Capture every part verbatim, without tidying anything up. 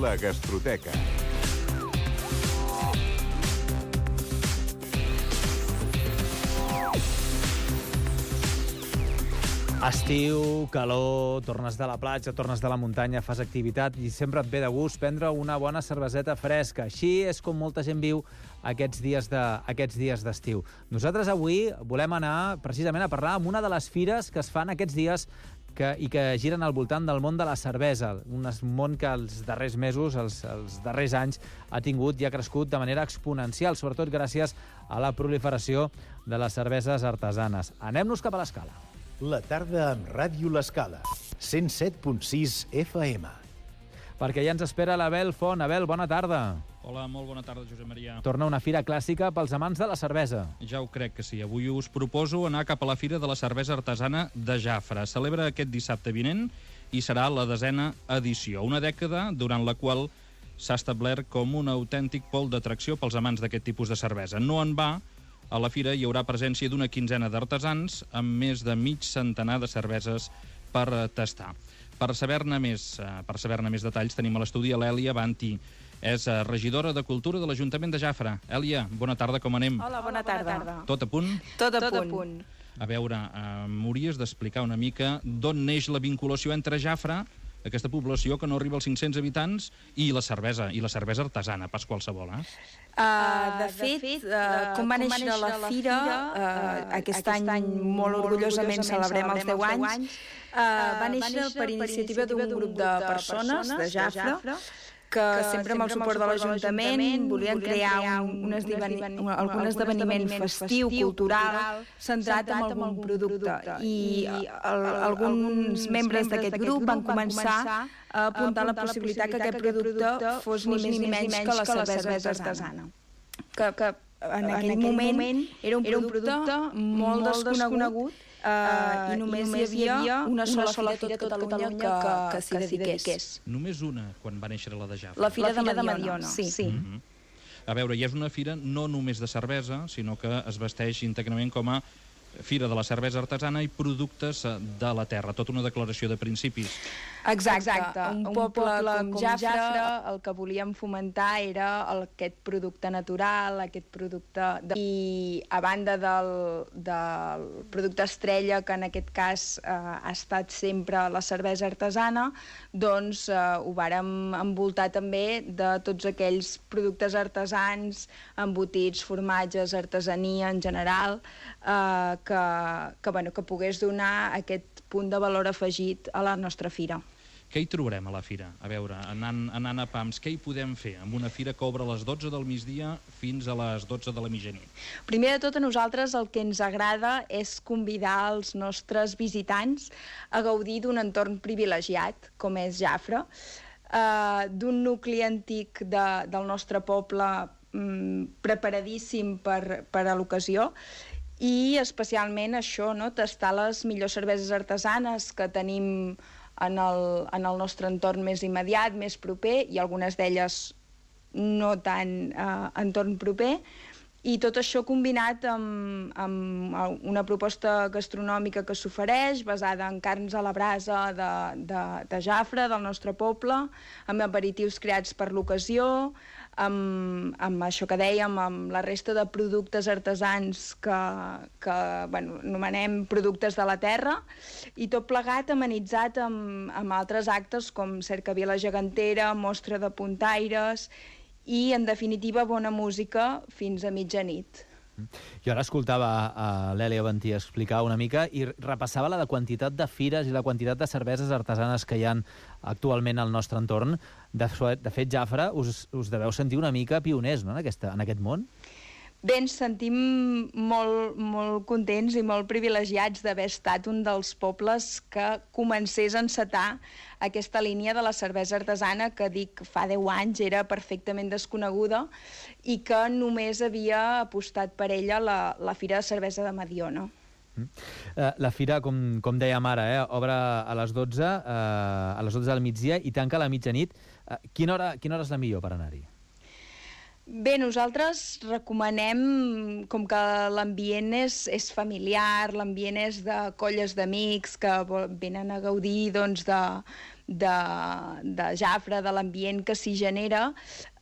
La Gastroteca. Estiu, calor, tornes de la platja, tornes de la muntanya, fas activitat i sempre et ve de gust prendre una bona cerveseta fresca. Així és com molta gent viu aquests dies de, aquests dies d'estiu. Nosaltres avui volem anar precisament a parlar amb una de les fires que es fan aquests dies que, i que giren al voltant del món de la cervesa, un món que els darrers mesos, els, els darrers anys, ha tingut i ha crescut de manera exponencial, sobretot gràcies a la proliferació de les cerveses artesanes. Anem-nos cap a l'Escala. La tarda amb Ràdio L'Escala, cent set punt sis F M. Perquè ja ens espera l'Abel Font. Abel, bona tarda. Hola, molt bona tarda, Josep Maria. Torna una fira clàssica pels amants de la cervesa. Ja ho crec que sí. Avui us proposo anar cap a la Fira de la Cervesa Artesana de Jafre. Celebra aquest dissabte vinent i serà la desena edició. Una dècada durant la qual s'ha establert com un autèntic pol d'atracció pels amants d'aquest tipus de cervesa. No en va. A la fira hi haurà presència d'una quinzena d'artesans amb més de mig centenar de cerveses per tastar. Per saber-ne més, per saber-ne més detalls tenim a l'estudi l'Èlia Banti. És regidora de Cultura de l'Ajuntament de Jafre. Èlia, bona tarda, com anem? Hola, bona tarda. Tot a punt? Tot a punt. A veure, eh, m'hauries d'explicar una mica d'on neix la vinculació entre Jafre, aquesta població que no arriba als cinc-cents habitants, i la cervesa, i la cervesa artesana, pas qualsevol, eh? Uh, de fet, uh, com va néixer la fira, uh, aquest any molt orgullosament celebrem els deu anys, uh, va néixer per iniciativa d'un grup de persones de Jafre, que sempre amb el suport de l'Ajuntament volien crear un, un, esdeven, un, algun esdeveniment festiu, cultural, centrat en algun producte. I el, alguns membres d'aquest grup van començar a apuntar la possibilitat que aquest producte fos ni més ni menys que la cervesa artesana. Que, que en aquell moment era un producte molt desconegut Uh, i només hi havia una sola, una sola fira a tot Catalunya que, que, que s'hi dediqués. Només una, quan va néixer la de Jafre? La Fira, la fira de, de Mediona, sí. sí. Mm-hmm. A veure, i és una fira no només de cervesa, sinó que es vesteix íntegrament com a Fira de la Cervesa Artesana i productes de la terra, tota una declaració de principis. Exacte, Exacte. Un, un poble, poble com, com Jafre, Jafre, el que volíem fomentar era el, aquest producte natural, aquest producte... De... I a banda del, del producte estrella, que en aquest cas eh, ha estat sempre la cervesa artesana, doncs eh, ho vàrem envoltar també de tots aquells productes artesans, embotits, formatges, artesania en general, eh, que, que, bueno, que pogués donar aquest punt de valor afegit a la nostra fira. Què hi trobarem a la fira? A veure, anant, anant a pams, què hi podem fer amb una fira que obre a les dotze del migdia fins a les dotze de la mitjanit? Primer de tot, a nosaltres el que ens agrada és convidar els nostres visitants a gaudir d'un entorn privilegiat, com és Jafre, eh, d'un nucli antic de, del nostre poble mm, preparadíssim per, per a l'ocasió, i especialment això, no? Tastar les millors cerveses artesanes que tenim en el, en el nostre entorn més immediat, més proper, i algunes d'elles no tan eh, entorn proper, i tot això combinat amb, amb una proposta gastronòmica que s'ofereix, basada en carns a la brasa de, de, de Jafre, del nostre poble, amb aperitius creats per l'ocasió, amb, amb això que dèiem, amb la resta de productes artesans que, que bueno, anomenem productes de la terra, i tot plegat amenitzat amb, amb altres actes com cercavila gegantera, mostra de puntaires i, en definitiva, bona música fins a mitjanit. Jo ara escoltava a l'Èlia Banti explicar una mica i repassava la quantitat de fires i la quantitat de cerveses artesanes que hi ha actualment al nostre entorn. De, de fet, Jafre, us, us deveu sentir una mica pioners, no?, en, aquesta, en aquest món? Bé, ens sentim molt, molt contents i molt privilegiats d'haver estat un dels pobles que comencés a encetar aquesta línia de la cervesa artesana que, dic, fa deu anys era perfectament desconeguda i que només havia apostat per ella la, la Fira de Cervesa de Mediona. La fira, com, com dèiem ara, eh, obre a les dotze, eh, a les dotze del migdia i tanca a la mitjanit. Eh, quina hora, quina hora és la millor per anar-hi? Bé, nosaltres recomanem, com que l'ambient és, és familiar, l'ambient és de colles d'amics que venen a gaudir doncs, de, de, de Jafre, de l'ambient que s'hi genera.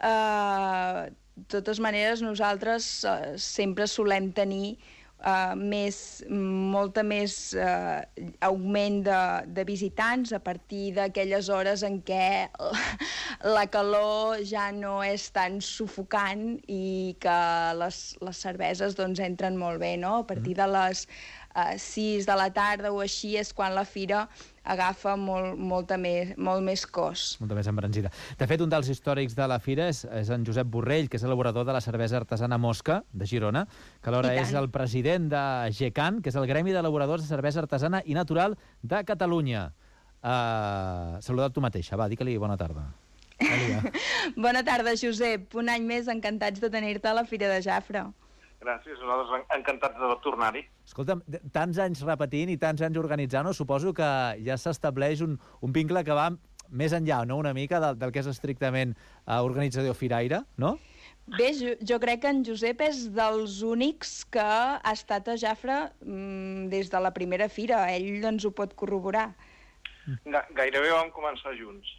Eh, de totes maneres, nosaltres eh, sempre solem tenir Uh, més, molta més uh, augment de, de visitants a partir d'aquelles hores en què la calor ja no és tan sufocant i que les, les cerveses doncs, entren molt bé, no? A partir de les uh, sis de la tarda o així és quan la fira agafa molt, molta més, molt més cos. Molta més embranzida. De fet, un dels històrics de la fira és, és en Josep Borrell, que és elaborador de la cervesa artesana Mosca, de Girona, que alhora és el president de GECAN, que és el Gremi d'Elaboradors de Cervesa Artesana i Natural de Catalunya. Uh, saluda't tu mateixa, va, digue-li bona tarda. Bona tarda, Josep. Un any més encantats de tenir-te a la Fira de Jafre. Gràcies, nosaltres encantats de tornar-hi. Escolta'm, tants anys repetint i tants anys organitzant, suposo que ja s'estableix un, un vincle que va més enllà, no?, una mica del, del que és estrictament uh, organitzador firaire, no? Bé, jo, jo crec que en Josep és dels únics que ha estat a Jafre mmm, des de la primera fira. Ell ens ho pot corroborar. Gairebé vam començar junts.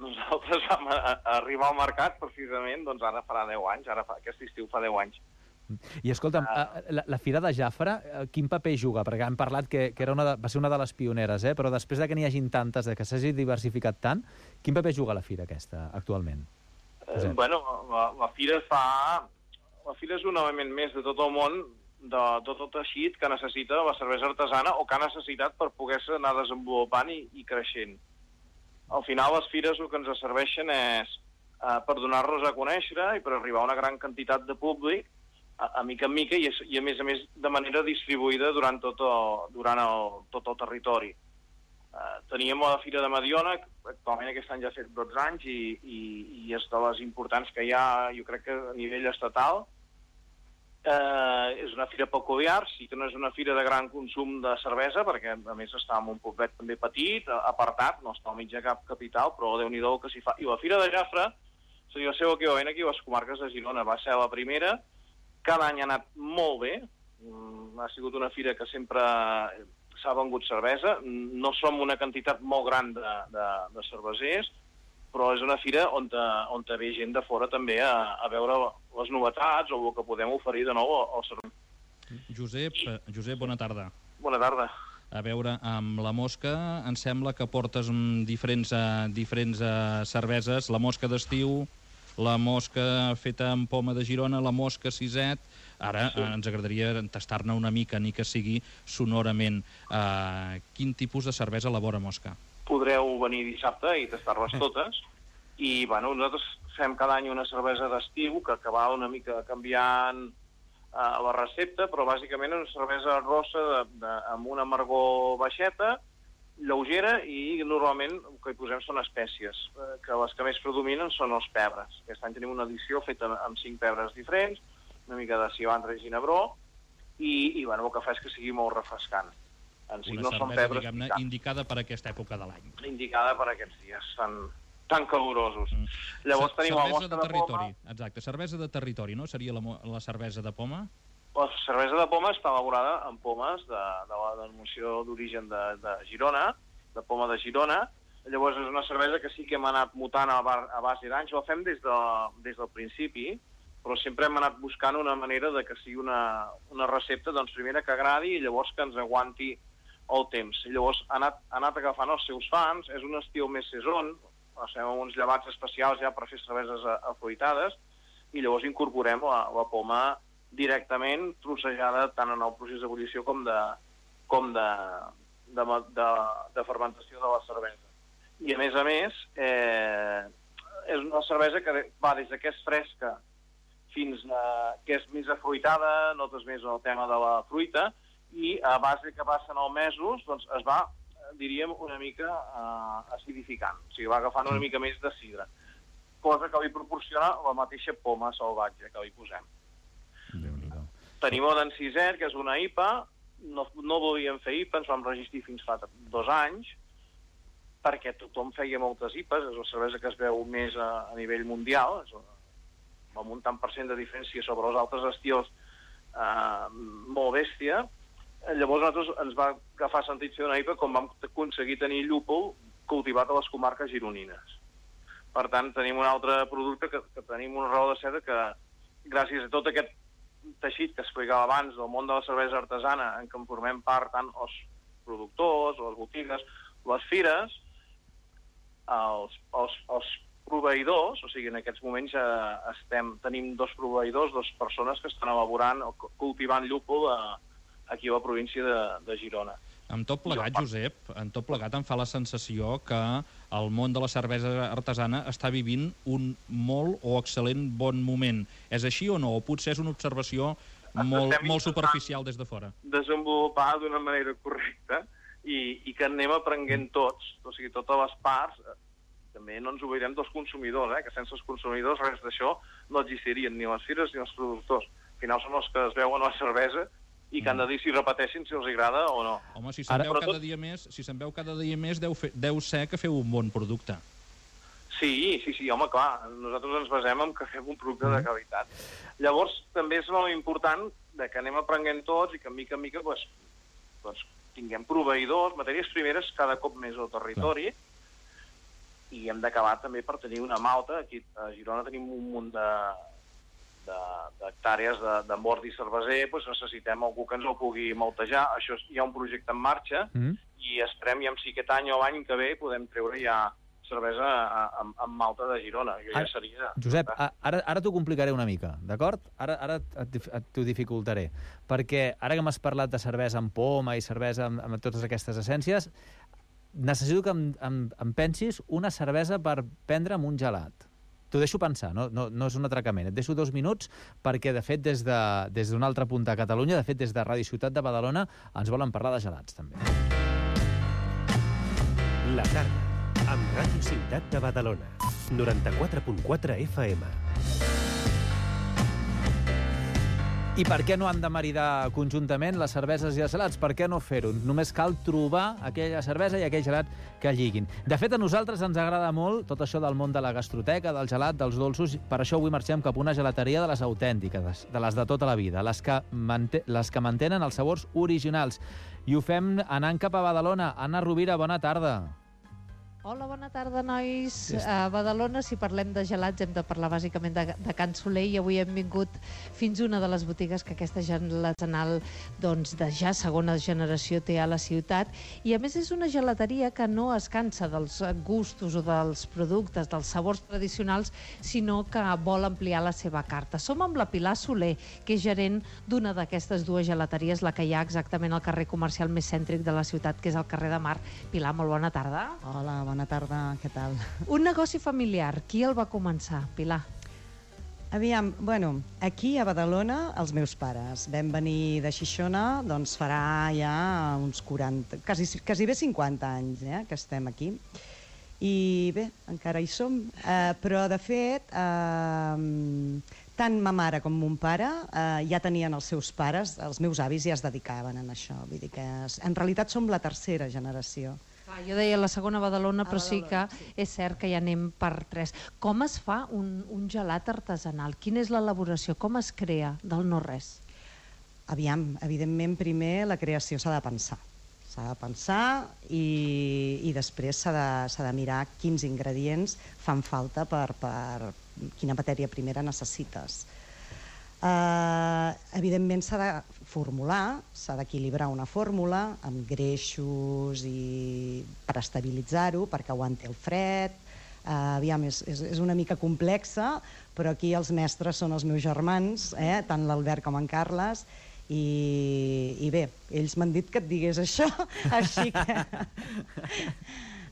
Nosaltres vam a, a arribar al mercat, precisament, doncs ara farà deu anys, ara fa, aquest estiu fa deu anys. I escolta'm, uh, la, la Fira de Jafre, uh, quin paper juga? Perquè hem parlat que, que era una de, va ser una de les pioneres, eh? Però després de que n'hi hagin tantes, de que s'hagi diversificat tant, quin paper juga la Fira aquesta, actualment? Eh, bueno, la, la Fira fa... La Fira és un element més de tot el món, de tot el teixit que necessita la cervesa artesana o que ha necessitat per poder-se anar desenvolupant i, i creixent. Al final, les fires el que ens serveixen és eh, per donar-nos a conèixer i per arribar a una gran quantitat de públic a, a mica en mica i, i a més a més de manera distribuïda durant tot el, durant el, tot el territori. Uh, teníem la Fira de Mediona, que actualment aquest any ja ha fet dotze anys i, i, i és de les importants que hi ha, jo crec que a nivell estatal. Uh, és una fira peculiar, sí que no és una fira de gran consum de cervesa, perquè a més està en un poblet també petit, apartat, no està al mig de cap capital, però Déu-n'hi-do que s'hi fa. I la Fira de Jafre seria el seu equivalent aquí a les comarques de Girona. Va ser la primera, cada any ha anat molt bé, mm, ha sigut una fira que sempre s'ha vengut cervesa, no som una quantitat molt gran de, de, de cervesers, però és una fira on, te, on te ve gent de fora també a, a veure les novetats o el que podem oferir de nou al servei. Josep, Josep, bona tarda. Bona tarda. A veure, amb la Mosca em sembla que portes diferents, uh, diferents uh, cerveses, la Mosca d'estiu, la Mosca feta amb poma de Girona, la Mosca Siset. Ara sí. uh, ens agradaria tastar-ne una mica, ni que sigui sonorament. Uh, quin tipus de cervesa elabora Mosca? Podreu venir dissabte i tastar-les totes. I, bueno, nosaltres fem cada any una cervesa d'estiu que, que va una mica canviant uh, la recepta, però bàsicament és una cervesa rossa de, de, amb una amargor baixeta, lleugera, i normalment el que hi posem són espècies, eh, que les que més predominen són els pebres. Aquest any tenim una edició feta amb cinc pebres diferents, una mica de cilantro i ginebró, i, i bueno, el que fa és que sigui molt refrescant. En si una no cervesa, diguem-ne, indicada per aquesta època de l'any. Indicada per aquests dies tan, tan calorosos. Mm. Llavors tenim la Mosca de, de territori. Poma. Exacte, cervesa de territori, no? Seria la, la cervesa de poma? La cervesa de poma està elaborada amb pomes de, de la denominació d'origen de, de Girona, de poma de Girona. Llavors és una cervesa que sí que hem anat mutant a, bar, a base d'anys. La fem des, de, des del principi, però sempre hem anat buscant una manera de que sigui una, una recepta, doncs, primera que agradi i llavors que ens aguanti el temps. I llavors ha anat, ha anat agafant els seus fans, és un estil més saison, fem uns llevats especials ja per fer cerveses afruitades, i llavors incorporem la, la poma directament trossejada tant en el procés d'ebullició com de, com de, de, de, de fermentació de la cervesa. I a més a més, eh, és una cervesa que va des que és fresca fins a que és més afruitada, notes més el tema de la fruita, i a base que passen els mesos doncs es va, diríem, una mica eh, acidificant, o sigui, va agafant una mica més de sidra, cosa que li proporciona la mateixa poma salvatge que li posem. Tenim el d'en Siset, que és una I P A, no, no volíem fer I P A, ens vam registrar fins fa dos anys, perquè tothom feia moltes I P As, és una cervesa que es veu més a, a nivell mundial, és una, amb un tant per cent de diferència sobre els altres estils eh, molt bèstia. Llavors a nosaltres ens va agafar sentit fer una I P A quan vam aconseguir tenir llúpol cultivat a les comarques gironines. Per tant, tenim un altre producte que, que tenim una raó de ser que, gràcies a tot aquest teixit que explicava abans del món de la cervesa artesana, en què en formem part tant els productors, les botigues, les fires, els, els, els proveïdors, o sigui, en aquests moments ja estem, tenim dos proveïdors, dues persones que estan elaborant o cultivant llúpol a, aquí a la província de, de Girona. Amb tot plegat, Josep, amb tot plegat em fa la sensació que el món de la cervesa artesana està vivint un molt o excel·lent bon moment. És així o no? O potser és una observació molt, molt superficial des de fora? Desenvolupar d'una manera correcta i, i que anem aprenent tots, o sigui, totes les parts. També no ens oblidem dels consumidors, eh? Que sense els consumidors res d'això no existirien, ni les fires ni els productors. Al final són els que es veuen a la cervesa i que han de dir si repeteixin, si els agrada o no. Home, si se'n veu cada tot... dia més, si se'n veu cada dia més, deu, fe... deu ser que feu un bon producte. Sí, sí, sí, home, clar, nosaltres ens basem en que fem un producte mm. de qualitat. Llavors, també és molt important que anem aprenent tots i que, mica en mica, doncs, doncs, tinguem proveïdors, matèries primeres cada cop més al territori, clar. I hem d'acabar també per tenir una malta. Aquí a Girona tenim un munt de... d'hectàrees de, de mordi cerveser, doncs necessitem algú que ens el pugui maltejar. Això és, hi ha un projecte en marxa mm. i esperem ja si aquest any o l'any que ve podem treure ja cervesa amb, amb malta de Girona. Jo ja seria... Josep, ara, ara t'ho complicaré una mica, d'acord? Ara, ara t'ho dificultaré, perquè ara que m'has parlat de cervesa amb poma i cervesa amb, amb totes aquestes essències, necessito que em, em, em pensis una cervesa per prendre amb un gelat. T'ho deixo pensar, no, no, no és un atracament. Et deixo dos minuts perquè, de fet, des d'un de, des altre punt de Catalunya, de fet, des de Ràdio Ciutat de Badalona, ens volen parlar de gelats, també. La tarda, amb Ràdio Ciutat de Badalona. noranta-quatre punt quatre F M. I per què no han de maridar conjuntament les cerveses i els gelats? Per què no fer-ho? Només cal trobar aquella cervesa i aquell gelat que lliguin. De fet, a nosaltres ens agrada molt tot això del món de la gastroteca, del gelat, dels dolços. Per això avui marxem cap a una gelateria de les autèntiques, de les de tota la vida, les que, manté les que mantenen els sabors originals. I ho fem anant cap a Badalona. Anna Rovira, bona tarda. Hola, bona tarda, nois. A Badalona, si parlem de gelats, hem de parlar bàsicament de, de Can Soler, i avui hem vingut fins a una de les botigues que aquesta gelatanal, doncs, de ja segona generació té a la ciutat. I, a més, és una gelateria que no es cansa dels gustos o dels productes, dels sabors tradicionals, sinó que vol ampliar la seva carta. Som amb la Pilar Soler, que és gerent d'una d'aquestes dues gelateries, la que hi ha exactament al carrer comercial més cèntric de la ciutat, que és el carrer de Mar. Pilar, molt bona tarda. Hola, bona tarda, què tal? Un negoci familiar, qui el va començar, Pilar? Aviam, bueno, aquí a Badalona, els meus pares. Vam venir de Xixona, doncs farà ja uns quaranta, quasi, quasi bé cinquanta anys, eh, que estem aquí. I bé, encara hi som. Eh, però, de fet, eh, tant ma mare com mon pare eh, ja tenien els seus pares, els meus avis ja es dedicaven a això. Vull dir que en realitat som la tercera generació. Ah, jo deia la segona Badalona, però sí que és cert que ja anem per tres. Com es fa un, un gelat artesanal? Quina és l'elaboració? Com es crea del no-res? Aviam, evidentment, primer la creació s'ha de pensar. S'ha de pensar i, i després s'ha de, s'ha de mirar quins ingredients fan falta per, per quina matèria primera necessites. Uh, evidentment s'ha de formular, s'ha d'equilibrar una fórmula amb greixos i per estabilitzar-ho, perquè aguanti el fred. Uh, aviam, és, és, és una mica complexa, però aquí els mestres són els meus germans, eh? Tant l'Albert com en Carles, i, i bé, ells m'han dit que et digués això, així que...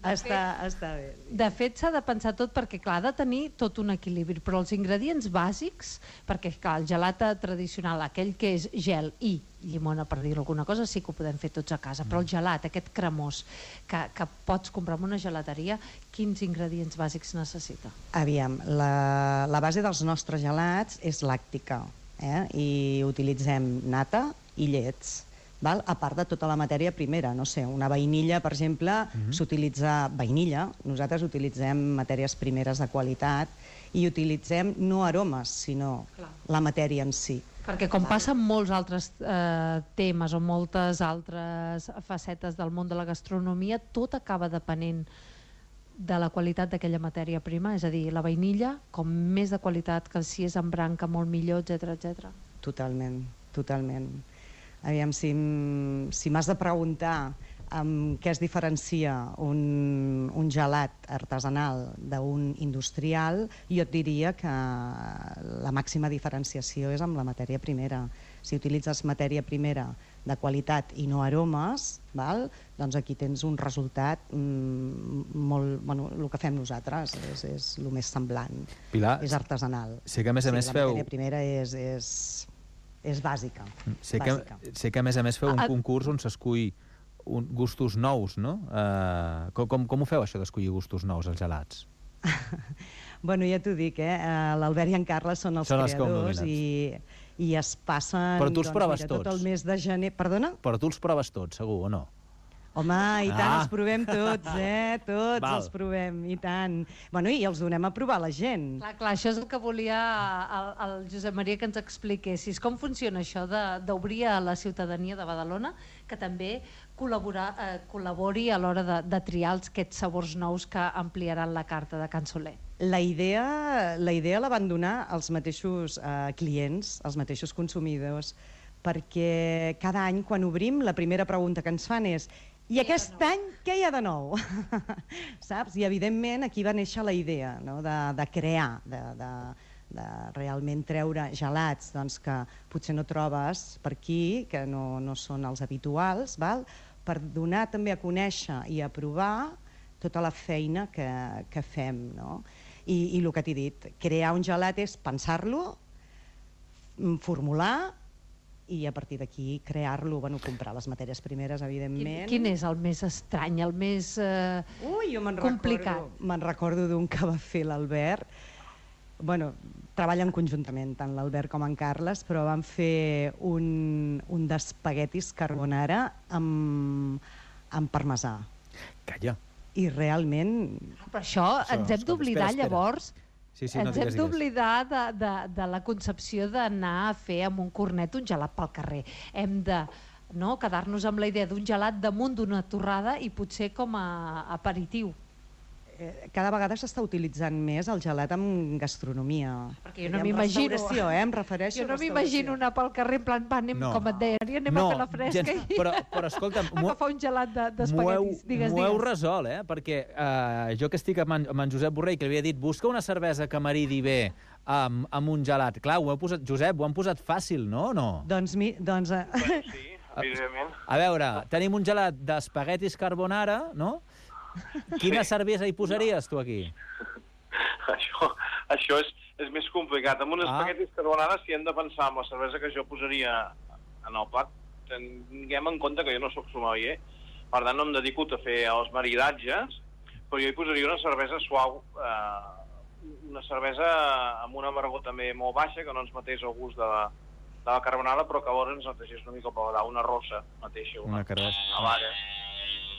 Està, està bé. De fet, s'ha de pensar tot perquè, clar, ha de tenir tot un equilibri, però els ingredients bàsics, perquè, clar, el gelat tradicional, aquell que és gel i llimona, per dir alguna cosa, sí que ho podem fer tots a casa, però el gelat, aquest cremós, que, que pots comprar en una gelateria, quins ingredients bàsics necessita? Aviam, la, la base dels nostres gelats és làctica, eh? I utilitzem nata i llets. Val? A part de tota la matèria primera, no sé, una vainilla, per exemple, mm-hmm. s'utilitza vainilla, nosaltres utilitzem matèries primeres de qualitat i utilitzem no aromes, sinó Clar. la matèria en si. Perquè com passa amb molts altres eh, temes o moltes altres facetes del món de la gastronomia, tot acaba depenent de la qualitat d'aquella matèria prima, és a dir, la vainilla com més de qualitat, que si és en branca molt millor, etcètera, etcètera. Totalment, totalment. Aviam, si, si m'has de preguntar amb què es diferencia un, un gelat artesanal d'un industrial, jo et diria que la màxima diferenciació és amb la matèria primera. Si utilitzes matèria primera de qualitat i no aromes, val? Doncs aquí tens un resultat mm, molt... Bueno, el que fem nosaltres és, és el més semblant. Pilar, és artesanal. sé que a més a sí, més la feu... matèria primera és, és, és bàsica. Sé que, bàsica. sé que a més a més feu un Ah, concurs on s'escull un, gustos nous, no? Uh, com, com, com ho feu, això d'escollir gustos nous, els gelats? Bueno, ja t'ho dic, eh? L'Albert i en Carles són els Són els creadors i, i es passen Però tu els doncs, proves mira, tot tots. el mes de gener... Perdona? Però tu els proves tots, segur, o no? Home, i tant, Ah. els provem tots, eh? Tots Val. els provem, i tant. Bueno, i els donem a provar a la gent. Clar, clar, això és el que volia el, el Josep Maria que ens expliquessis. Com funciona això de- d'obrir a la ciutadania de Badalona, que també col·labora, eh, col·labori a l'hora de, de triar els, aquests sabors nous que ampliaran la carta de Can Soler? La idea, la idea la van donar els mateixos eh, clients, els mateixos consumidors, perquè cada any quan obrim la primera pregunta que ens fan és i aquest any què hi ha de nou? Saps? I evidentment aquí va néixer la idea, no? de, de crear, de, de, de realment treure gelats doncs, que potser no trobes per aquí, que no, no són els habituals, val? Per donar també a conèixer i a provar tota la feina que, que fem, no? I, i el que t'he dit, crear un gelat és pensar-lo, formular i a partir d'aquí crear-lo, bueno, comprar les matèries primeres, Quin, evidentment. quin és el més estrany, el més eh, Ui, jo me'n complicat? recordo, me'n recordo d'un que va fer l'Albert. Bueno, treballen conjuntament, tant l'Albert com en Carles, però van fer un, un d'espaguetis carbonara amb, amb parmesà. Calla. I realment... Però això, Això, ens hem escolta, d'oblidar espera, espera. llavors, Sí, sí, no ens digues, hem digues. d'oblidar de, de, de la concepció d'anar a fer amb un cornet un gelat pel carrer. Hem de no, quedar-nos amb la idea d'un gelat damunt d'una torrada i potser com a aperitiu. Eh, cada vegada s'està utilitzant més el gelat en gastronomia. Perquè jo no I en m'imagino- restauració, eh? Em refereixo Jo a no m'imagino restauració. anar pel carrer en plan, va, anem, No. com et deia, anem No, a fer la fresca gens- i però, però escolta'm, m'ho- agafar un gelat de- m'ho heu, d'espaguetis. Digues, m'ho heu digues. resolt, eh? Perquè eh, jo que estic amb en, amb en Josep Borrell, que li havia dit busca una cervesa que maridi bé amb, amb un gelat. Clar, ho heu posat, Josep, ho han posat fàcil, no o no? Doncs, mi, doncs eh, Sí, evidentment. A veure, tenim un gelat d'espaguetis carbonara, no? Quina cervesa hi posaries, tu, aquí? Això, això és, és més complicat. Amb un Ah. espaguetis carbonara, si hem de pensar amb la cervesa que jo posaria en el plat, tinguem en compte que jo no sóc sommelier, per tant no em dedico a fer els maridatges, però jo hi posaria una cervesa suau, eh, una cervesa amb una amargor també molt baixa, que no ens matés el gust de la, de la carbonara, però que alhora ens netegés una mica el paladar, una rossa mateixa, una, Una carrossa. una vaga.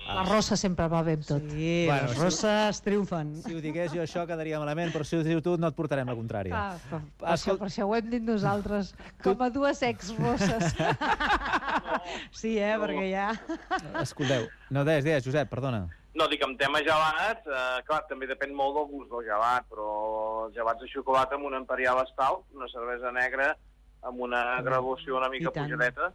La rossa sempre va bé amb tot. sí, Bueno, les sí. rosses triomfen. Si ho digués jo això quedaria malament, però si ho dius tu no et portarem la contrària. Ah, per, per, això, Escol- per això ho hem dit nosaltres, com a dues ex-rosses. Sí, eh, perquè ja... Escolteu, no deies, deies, Josep, perdona. No, dic, en tema gelat, eh, clar, també depèn molt del gust del gelat, però els gelats de xocolata amb una imperial stout, una cervesa negra amb una graduació una mica I tant. pujadeta,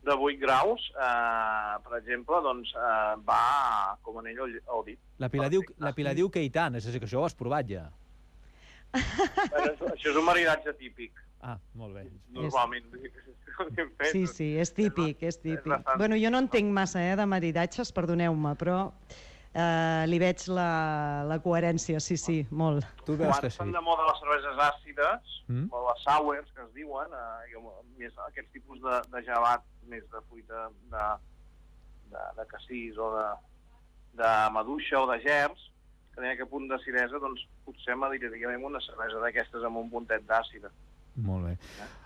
de vuit graus, eh, per exemple, doncs eh, va com anell al, al dit. La Pilar, diu, la Pilar diu que i tant, és a dir, que això ho has provat ja. Bueno, això, això és un maridatge típic, Ah, molt bé. normalment. Sí, sí, és típic, és típic. bastant- Bueno, jo no entenc massa eh, de maridatges, perdoneu-me, però eh, li veig la, la coherència, sí, sí, molt. Tu veus Quan que estan sí. de moda les cerveses àcides, Mm? o les sours, que es diuen, eh, i amb- més aquests tipus de, de gelat, més de fruita de, de, de cassís o de, de maduixa o de gerds, que tenen aquest punt d'acidesa, doncs potser m'adiriríem una cervesa d'aquestes amb un puntet d'àcida. Molt bé.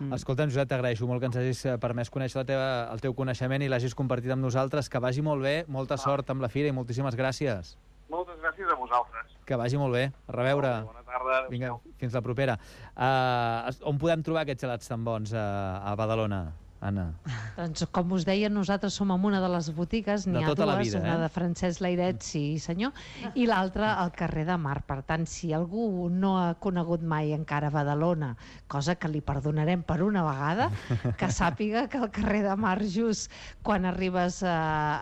Mm. Escolta'm, Josep, t'agraeixo molt que ens hagis eh, permès conèixer la teva, el teu coneixement i l'hagis compartit amb nosaltres. Que vagi molt bé, molta sort amb la fira i moltíssimes gràcies. Moltes gràcies a vosaltres. Que vagi molt bé. A reveure. Bona tarda. Vinga, fins la propera. Uh, on podem trobar aquests gelats tan bons a, a Badalona? Anna? Doncs, com us deia, nosaltres som en una de les botigues, n'hi ha tota la dues, vida, una eh? de Francesc Lairet, sí senyor, i l'altra al carrer de Mar. Per tant, si algú no ha conegut mai encara Badalona, cosa que li perdonarem per una vegada, que sàpiga que al carrer de Mar, just quan arribes eh,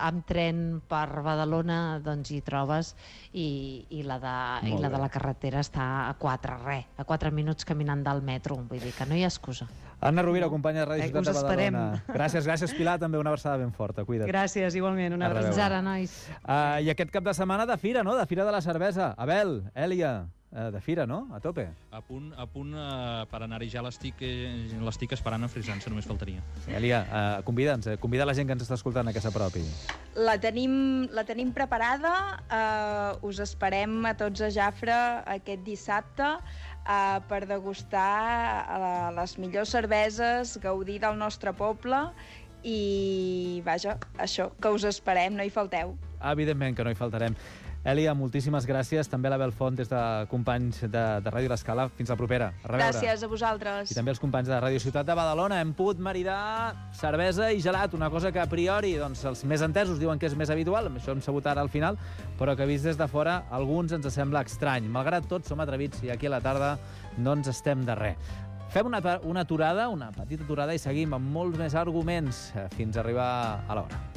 amb tren per Badalona, doncs hi trobes, i, i, la de, i la de la carretera està a quatre, res, a quatre minuts caminant del metro, vull dir que no hi ha excusa. Anna Rovira, companya de Ràdio Eh, Ciutat us de Badalona. esperem. Gràcies, gràcies, Pilar, també una abraçada ben forta. Cuida't. Gràcies, igualment. Una A reveure. Fins abraçada. ara, nois. Uh, I aquest cap de setmana de fira, no? De Fira de la Cervesa. Abel, Èlia, uh, de fira, no? A tope. A punt, a punt uh, per anar-hi ja l'estic eh, l'estic esperant a frisant-se, només faltaria. Èlia, uh, convida'ns, eh? Convida la gent que ens està escoltant a que s'apropi. La tenim, la tenim preparada, eh, us esperem a tots a Jafre aquest dissabte eh, per degustar eh, les millors cerveses, gaudir del nostre poble i, vaja, això, que us esperem, no hi falteu. Evidentment que no hi faltarem. Èlia, moltíssimes gràcies. També l'Abel Font, des de companys de, de Ràdio L'Escala. Fins la propera. A reveure. Gràcies a vosaltres. I també els companys de Ràdio Ciutat de Badalona. Hem pogut maridar cervesa i gelat, una cosa que a priori doncs, els més entesos diuen que és més habitual, això hem sabut ara al final, però que vist des de fora a alguns ens sembla estrany. Malgrat tot, som atrevits i aquí a la tarda no ens estem de res. Fem una, una aturada, una petita aturada i seguim amb molts més arguments fins a arribar a l'hora.